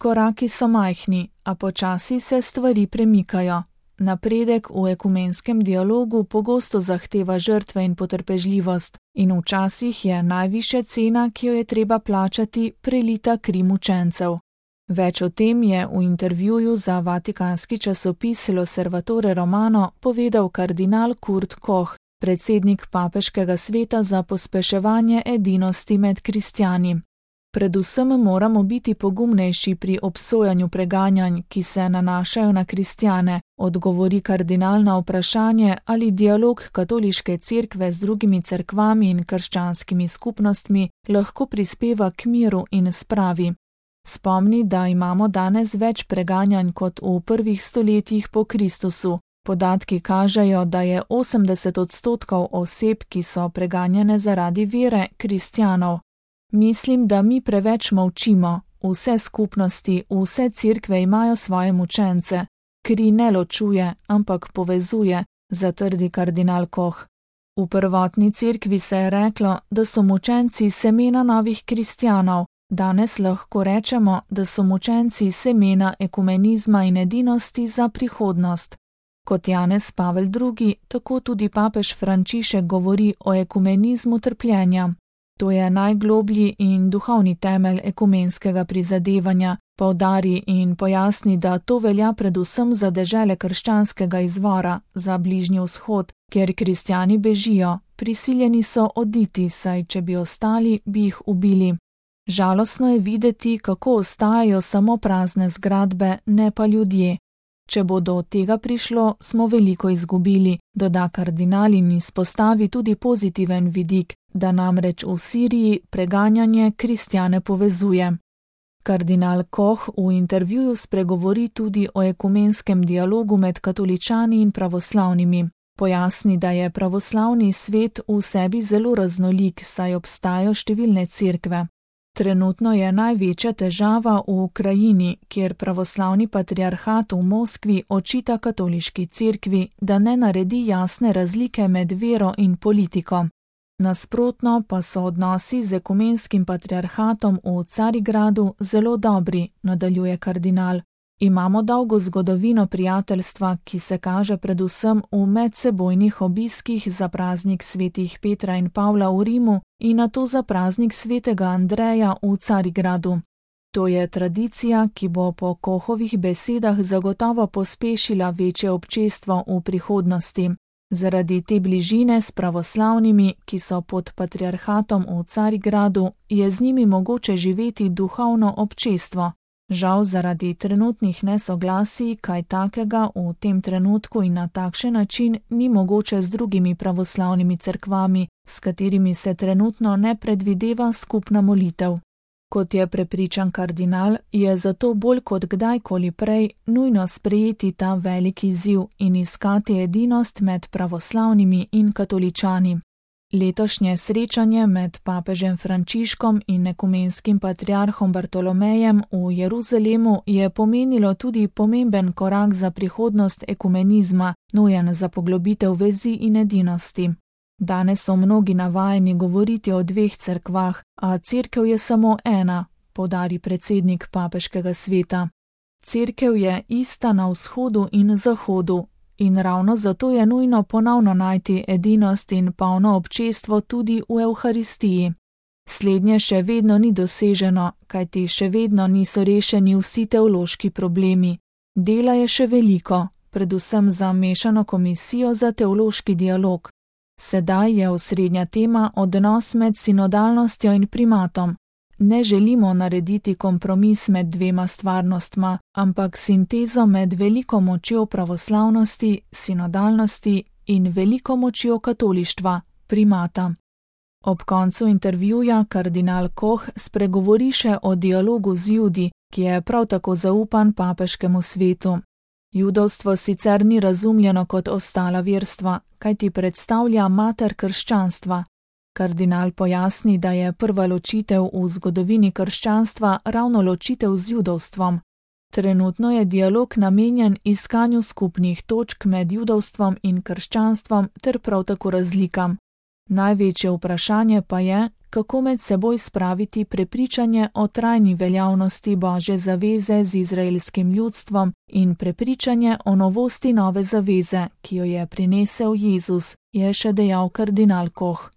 Koraki so majhni, a počasi se stvari premikajo. Napredek v ekumenskem dialogu pogosto zahteva žrtve in potrpežljivost in včasih je najvišja cena, ki jo je treba plačati, prelita kri mučencev. Več o tem je v intervjuju za vatikanski časopis L'Osservatore Romano povedal kardinal Kurt Koch, predsednik papeškega sveta za pospeševanje edinosti med kristjani. Predvsem moramo biti pogumnejši pri obsojanju preganjanj, ki se nanašajo na kristjane, odgovori kardinal na vprašanje, ali dialog katoliške cerkve z drugimi cerkvami in krščanskimi skupnostmi lahko prispeva k miru in spravi. Spomni, da imamo danes več preganjanj kot v prvih stoletjih po Kristusu. Podatki kažejo, da je 80% oseb, ki so preganjane zaradi vere, kristjanov. Mislim, da mi preveč molčimo. Vse skupnosti, vse cerkve imajo svoje mučence. Kri ne ločuje, ampak povezuje, zatrdi kardinal Koch. V prvotni cerkvi se je reklo, da so mučenci semena novih kristjanov. Danes lahko rečemo, da so mučenci semena ekumenizma in edinosti za prihodnost. Kot Janez Pavel II, tako tudi papež Frančišek govori o ekumenizmu trpljenja. To je najgloblji in duhovni temelj ekumenskega prizadevanja, poudari in pojasni, da to velja predvsem za dežele krščanskega izvora, za Bližnji vzhod, kjer kristjani bežijo, prisiljeni so oditi, saj če bi ostali, bi jih ubili. Žalostno je videti, kako ostajajo samo prazne zgradbe, ne pa ljudje. Če bo do tega prišlo, smo veliko izgubili, doda kardinal in izpostavi tudi pozitiven vidik, da namreč v Siriji preganjanje kristjane povezuje. Kardinal Koch v intervjuju spregovori tudi o ekumenskem dialogu med katoličani in pravoslavnimi. Pojasni, da je pravoslavni svet v sebi zelo raznolik, saj obstajajo številne cerkve. Trenutno je največja težava v Ukrajini, kjer pravoslavni patriarhat v Moskvi očita katoliški cerkvi, da ne naredi jasne razlike med vero in politiko. Nasprotno pa so odnosi z ekumenskim patriarhatom v Carigradu zelo dobri, nadaljuje kardinal. Imamo dolgo zgodovino prijateljstva, ki se kaže predvsem v medsebojnih obiskih za praznik svetih Petra in Pavla v Rimu in nato za praznik svetega Andreja v Carigradu. To je tradicija, ki bo po Kochovih besedah zagotovo pospešila večje občestvo v prihodnosti. Zaradi te bližine s pravoslavnimi, ki so pod patriarhatom v Carigradu, je z njimi mogoče živeti duhovno občestvo. Žal zaradi trenutnih nesoglasij kaj takega v tem trenutku in na takšen način ni mogoče z drugimi pravoslavnimi cerkvami, s katerimi se trenutno ne predvideva skupna molitev. Kot je prepričan kardinal, je zato bolj kot kdajkoli prej nujno sprejeti ta veliki izziv in iskati edinost med pravoslavnimi in katoličani. Letošnje srečanje med papežem Frančiškom in ekumenskim patriarhom Bartolomejem v Jeruzalemu je pomenilo tudi pomemben korak za prihodnost ekumenizma, nujen za poglobitev vezi in edinosti. Danes so mnogi navajeni govoriti o dveh cerkvah, a cerkev je samo ena, poudari predsednik papeškega sveta. Cerkev je ista na vzhodu in zahodu. In ravno zato je nujno ponovno najti edinost in polno občestvo tudi v Evharistiji. Slednje še vedno ni doseženo, kajti še vedno niso rešeni vsi teološki problemi. Dela je še veliko, predvsem za mešano komisijo za teološki dialog. Sedaj je osrednja tema odnos med sinodalnostjo in primatom. Ne želimo narediti kompromis med dvema stvarnostma, ampak sintezo med veliko močjo pravoslavnosti, sinodalnosti in veliko močjo katolištva, primata. Ob koncu intervjuja kardinal Koch spregovori še o dialogu z Judi, ki je prav tako zaupan papeškemu svetu. Judovstvo sicer ni razumljeno kot ostala verstva, kajti predstavlja mater krščanstva. Kardinal pojasni, da je prva ločitev v zgodovini krščanstva ravno ločitev z judovstvom. Trenutno je dialog namenjen iskanju skupnih točk med judovstvom in krščanstvom ter prav tako razlikam. Največje vprašanje pa je, kako med seboj spraviti prepričanje o trajni veljavnosti Božje zaveze z izraelskim ljudstvom in prepričanje o novosti nove zaveze, ki jo je prinesel Jezus, je še dejal kardinal Koh.